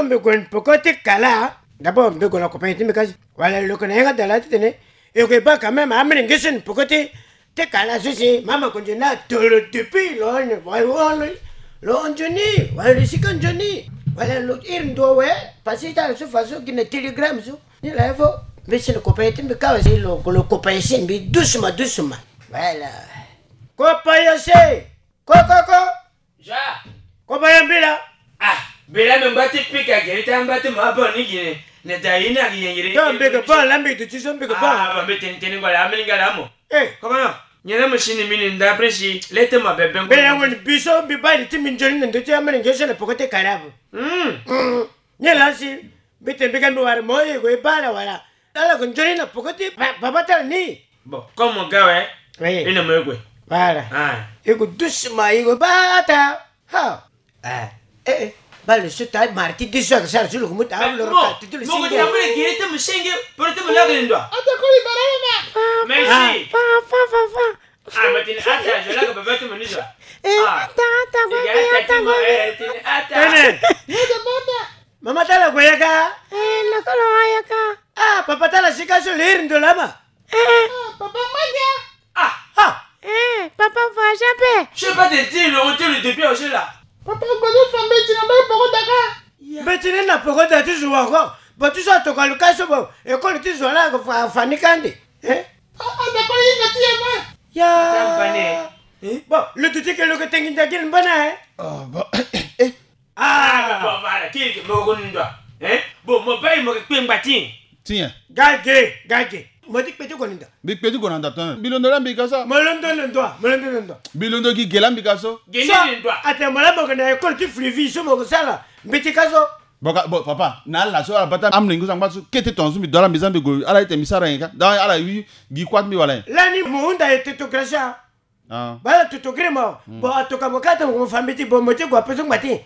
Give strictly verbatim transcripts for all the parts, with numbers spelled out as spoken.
Mbi gue na peko ti kala. D'abord mbi gue na compagnie ti mbi kasi. Wala lo yeke na yanga da laa titene e gue baa quand même amolenge so na peko ti ti kala so si mama konzo ni atoro depuis lo, wala lo, lo nzoni, wala lo sika nzoni, wala lo iri ndo awe. Pasi ti ala so fa so gi na télégramme so. Ni laa fo mbi si na compagnie ti mbi kawa si lo, lo compagnie si mbi doucement doucement. Voilà. Compagnie si. Ko, ko, ko. Ja. Ko baya mbila. Ah, mbila me ngba ti pika gere ti angba ti mo abon ni gine. Ne da yi ni ayengere. Yo, mbeke bon, la mbi duti so mbeke bon. Ah, ba mbi tene tene ngba la, ameni nga la mo. Eh. Comment? Nyela mo sini mini nda après si, lete mo bebe ngba. Mbela ngoni biso, mbi bali ti mbi nzoni na ndo ti ameni nge so na poko te kala bo. Hmm. Hmm. Nyela si, mbi tene mbi ga mbi wara mo ye go e bala wala. Ala ko nzoni na poko ti ba-, baba tala ni. Bon, comme mo ga we, oui. Ina mo ye gue. Voilà. Ah. E ko doucement, e ko bata. Ha. Eh. Eh, eh. Bale so ta marti di so ka sara so lo ko muta. Mo ko ti amule giri te mo senge, poro te mo lagre ndwa. Ata ko li barama. Merci. Fa, fa, fa, fa. Ah, ma tini ata, je lagre baba te mo ni so. Eh, ata, ata, ata, ata. Tene. Mama tala ko yaka. Eh, na ko lo yaka. Ah, papa tala sika so lir ndo lama. Eh. Ah, papa manja. Ah, ah. Eh, papa voyage pe. Je sais pas de dire le retour de depuis aussi là. Papa, gbedu fa mbeti na mbeti poko daka. Mbeti ni na poko da ti zo wa ko. Bo ti so atoka lo ka so bo. École ti zo la ko fa, fa ni kande. Eh? Ah, ah, d'accord, il me tue, moi. Ya. Ata bane. Eh? Bon, le duti ke lo ke tengi ndagil mbana, eh? Ah, bon. Eh? Ah, bon, voilà, ki, ki, mo ko ni ndwa. Eh? Bon, mo bayi mo ke kpe ngba ti. Tiens. Gage, gage. Mo ti kpe ti ko ni ndwa. Mbi kpe ti ko na ndwa tene. Mbi londo la mbi ka so. Mo londo na ndwa, mo londo na ndwa. Mbi londo gi ge la mbi ka so. Ge ni ndwa. Ate mo la mo ke na école ti Fleuvy so mo ke sala. Mbi ti ka so. Bon, ka, bon, papa, na ala so ala bata amolenge so angba so kete tongaso mbi do ala mbi za mbi gue, ala ete mbi sara nyen ka. Donc ala wi gi kuâ ti mbi wala nyen. Lani mo hunda e tetogracia. Ah. Bala totogrima. Hmm. Bon, atoka mo kata mo fa mbeti, bon, mo ti gue ape so ngba ti.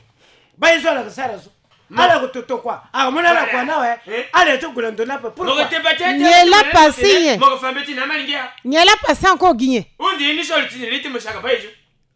Bayi so ala ko sara so. Non. Ala ko toto kua. Ah, mo na ala kua na we. Eh? Ala ti gue na ndo na pe. Pourquoi? Nyen la passé nyen? Mo ko fa mbeti na amolenge a. Nyen la passé encore gi nyen? Hundi ni so lo ti ni li ti mo saka bayi so.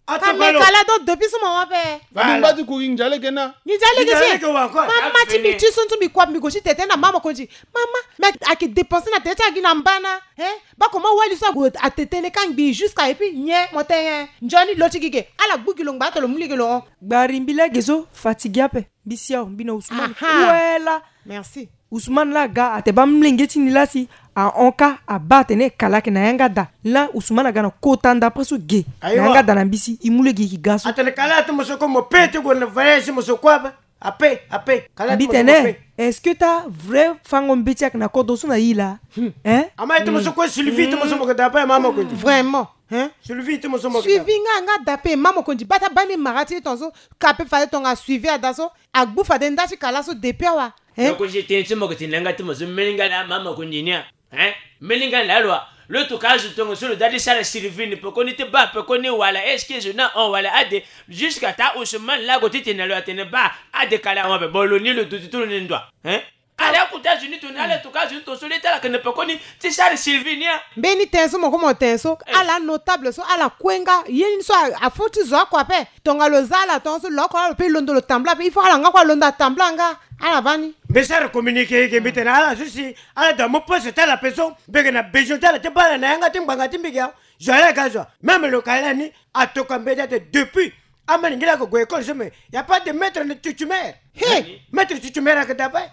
Ka me kala donc depuis so mo wa pe. Voilà. Mbi ngba ti ku gi nzale ke na. Gi nzale ke si. Mama ti mbi ti so ntu mbi kua mbi gue ti tete na mama konzi. Mama, mais ayeke dépenser na tete ti agi na mbana. Hein? Bako ma wali so ague atete ni ka ngbii jusqu'à et puis nyen mo tene nzoni lo ti gi ge. Ala gbu gi lo ngba ato lo mu lege lo hon. Gbari mbi laa ge so fatigué ape. Mbi si awe mbi na Ousmane. Aha. Kue la. Merci. Ousmane la aga ate baa mlenge ti ni la si ahon ka abaa atene kala ayeke na yanga da. La Ousmane aga na kota nda après so ge. Ayiwa. Na yanga da na mbi si e mu lege e yeke ga so. Atene kala ate mo so ko mo pe ti gue na voyage ti mo so kue ape. Ape, ape. Kala ate mo so ko pe. Mbi tene, est-ce que ta vrai fango mbeti ayeke na kodro so na e laa? Hmm. Hein? Ama ete mo so kue Sylvie ete mo so mo ke da ape mama ko. Vraiment. Hein? Sylvie ete mo so mo ke da. Suivi nga nga da ape mama ko ndi bata baa ni mara ti e tongaso. Ka ape fade tonga suivi ada so. Agbu fade nda ti kala so depuis awa. Hein? Donc je tene ti mo ke tene na yanga ti mo so mbeni nga laa mama ko ndi ni a. Hein? Mbeni nga laa lo a. Lo tokua azo tongaso lo daa ti sara Sylvie ni pekoni ti baa pekoni wala est-ce que zo ni ahon wala ade. Jusqu'à ta Ousmane laa ague titene na lo atene baa ade kala ahon ape. Bon lo ni lo duti ti lo ni ndwa. Hein? Ala akota azo ni tongana ala tokua azo ni tongaso le ti ala yeke na pekoni ti sara Sylvie ni a. Mbeni tene so mo ko mo tene so. Eh. Ala notable so ala kue nga ye ni so a, afoti zo oko ape. Tongana lo za ala tongaso lo oko ala lo pe londo lo tambula ape il faut ala nga kue alondo atambula nga. Ala baa ni. Mbi sara communiqué ge mbi tene ala so si ala da mu poste ti ala ape so mbi yeke na besoin ti ala ti baa ala na yanga ti ngbanga ti mbi ge awe. Zo ala ga zo. Même lo ka ala ni atoka mbeti ate depuis amolenge laa ako gue école so mais y a pas de maître ni titulaire. Hey! Maître titulaire ayeke da ape.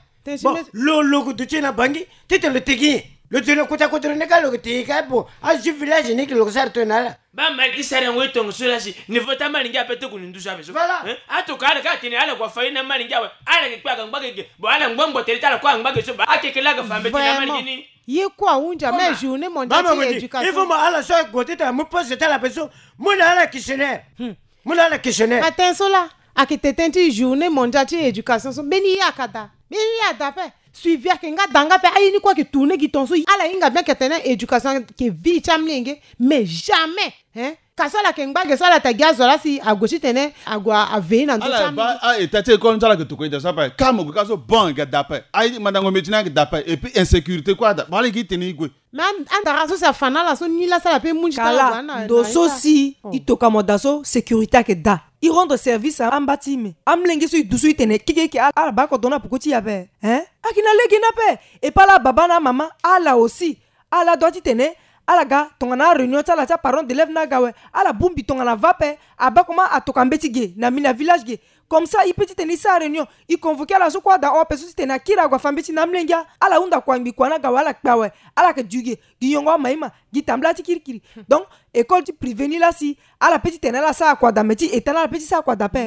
Bon, lo, lo ko duti na Bangui titene lo tegi nyen? Lo duti na kota kodro ni ka lo ko tegi ka bon. Azo ti village ni lo ko sara tongana ala. Baa mali ti sara yango e tongaso la si niveau ti amolenge ape ti gue na nduzu ape so. Voilà. Hein? Atoka ala ka atene ala gue afa ye na amolenge awe. Ala yeke kpe aga ngba gege. Bon ala ngba ngbo tene ti ala kue angba gege so baa akeke laa aga fa mbeti na amolenge ni. Ye kue ahunzi ame journée mondiale ti éducation. Il faut mo ala so ague titene amu poste ti ala ape so. Mu na ala questionnaire. Hmm. Mu na ala questionnaire. Atene so laa ayeke tene ti journée mondiale ti éducation so mbeni ye ayeke daa. Mbeni ye ada ape. Suivi ayeke nga da nga ape. Aye ni kue ayeke tourner gi tongaso. Ala hinga bien ayeke tene éducation ayeke vie ti amolenge. Mais jamais, hein, kasi ala yeke ngba ge so ala ta gi azo laa si ague titene ague aveiller na ndö ti amolenge. Ala baa a-état ti école ni so ala yeke tokua ita so ape. Kâ mo gue kâ so bon ayeke da ape. Aye ti mandango meti ni ayeke da ape. Et puis insécurité kue ada. Mo ala gi tene e gue. Mais an- andara so si afa na ala so ni laa si ala pe mu nzita na kala ndo so si e toka mo da so sécurité ayeke da. E rendre service amba ti e. Mais amolenge so e dusu e tene kekeke ala baa kodro ni na peko ti e ape. Hein, ayeke na lege ni ape. E pe ala baba na amama ala aussi, ala dua titene ala ga tongana aréunion ti ala ti aparent d'élève ni aga awe. Ala bongbi tongana va ape. Abaa comment atoka mbeti ge na mbi na village ge. Comme ça e pe titene e sara réunion, e convoquer ala so kue ada hon ape so titene akiri ague afa mbeti na amolenge. Ala hunda kua ngbi kua ni aga awe, ala kpe awe. Ala yeke du ge gi nyongo ama ima, gi tambula ti kirikiri. Donc école ti privé ni laa si ala pe titene ala sara kua da, mais ti état ni ala pe ti sara kua da ape.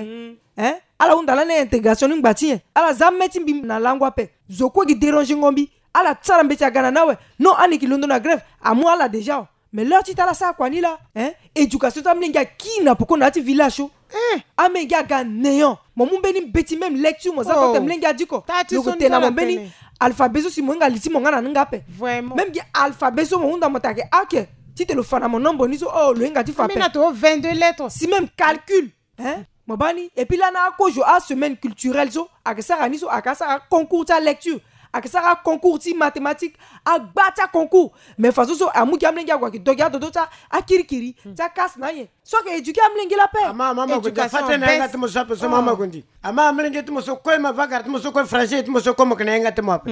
Hein, ala hunda lani intégration ni ngba ti nyen? Ala za me ti mbi na lango ape. Zo kue gi dérangengo mbi. Ala sara mbeti aga na ni awe. Non, ani yeke londo na grève. Amu ala déjà o. Mais l'heure ti tene ala sara kua ni laa, hein, éducation ti amolenge akiri na peko na ya ti village so. Amolenge aga néant. Mo mu mbeni mbeti même lecture mo za ko te, molenge adiko. Lo yeke tene na mo mbeni alphabet so si mo hinga li ti mo nga na ni nga ape. Même gi alphabet so mo hunda mo ta ke ake titene lo fa na mo nombre ni so, oh, lo hinga ti fa ape. Si même calcul, hein, mo baa ni. Et puis lani akozo asemaine culturelle so ayeke sara ni so, ayeke sara concours ti alecture, ayeke sara concours ti mathématique, agba ti aconcours. Mais façon so amu gi amolenge ague ayeke do gi adodo ti akirikiri ti akase na anyen. So ayeke éduquer amolenge lape. Ama ama ma gue ndia fa tene na yanga ti mo so ape so mama gue ndi. Ama amolenge ti mo so kue ma vagara ti mo so kue français ti mo so kue mo yeke na yanga ti mo ape.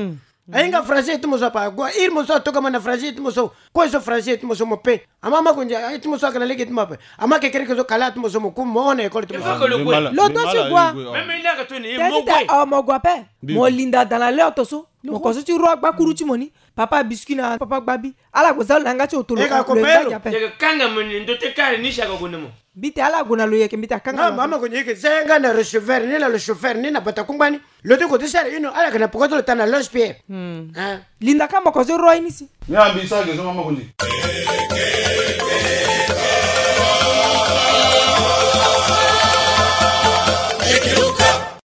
Ahinga français ti mo so ape, ague iri mo so atokama na français ti mo so. Kue so français ti mo so mo pe. Ama ma gue ndia ti mo so ayeke na lege ti mo ape. Ama kekereke so kala ti mo so mo ku mo hon na école ti mo so. Lo to ti gua. Même il n'a que toni Teti mo ta gwe. Oh, mo gua ape. Mo linda dans la l'heure to so. Mo ko so ti ro agbakuru ti mo ni. Papa biscuit na papa gbabi. Ala gue za lo na yanga ti otolo. Lo yeke kanga mo ni ndo te kare ni si aga gue na mo. Mbi te ala gue na lo yeke mbi te akanga. Mama ko ni yeke za yanga na receveur ni na le chauffeur ni na bata kungba ni. Lo ti ko ti sara ino ala yeke na poko ti lo ta na loge pierre. Linda ka mo ko so ro ye ni si. Ni ambi sara ge so mama ko ni.